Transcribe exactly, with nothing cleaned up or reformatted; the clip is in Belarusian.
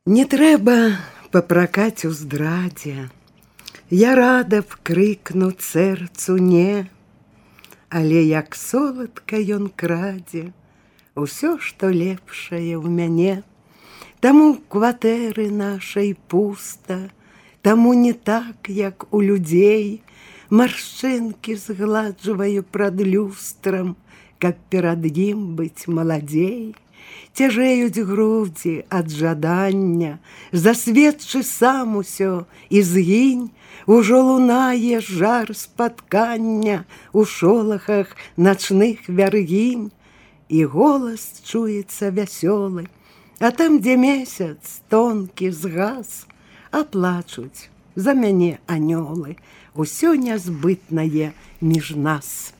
Не трэба папракаць у здрадзе, я рада б крыкнуць сэрцу не, але як соладка ён крадзе усё, што лепшае ў мяне. Таму кватэры нашай пуста, таму не так, як у людзей, маршчынкі згладжваю прад люстрам, каб перад ім быць маладзей. Цяжэюць грудзі ад жадання, засведчы сам усё і згінь, ужо лунае жар спаткання у шолахах начных вяргінь, і голас чуецца вясёлы, а там, дзе месяц тонкі згас, а плачуць за мяне анёлы, усё нязбытнае між нас.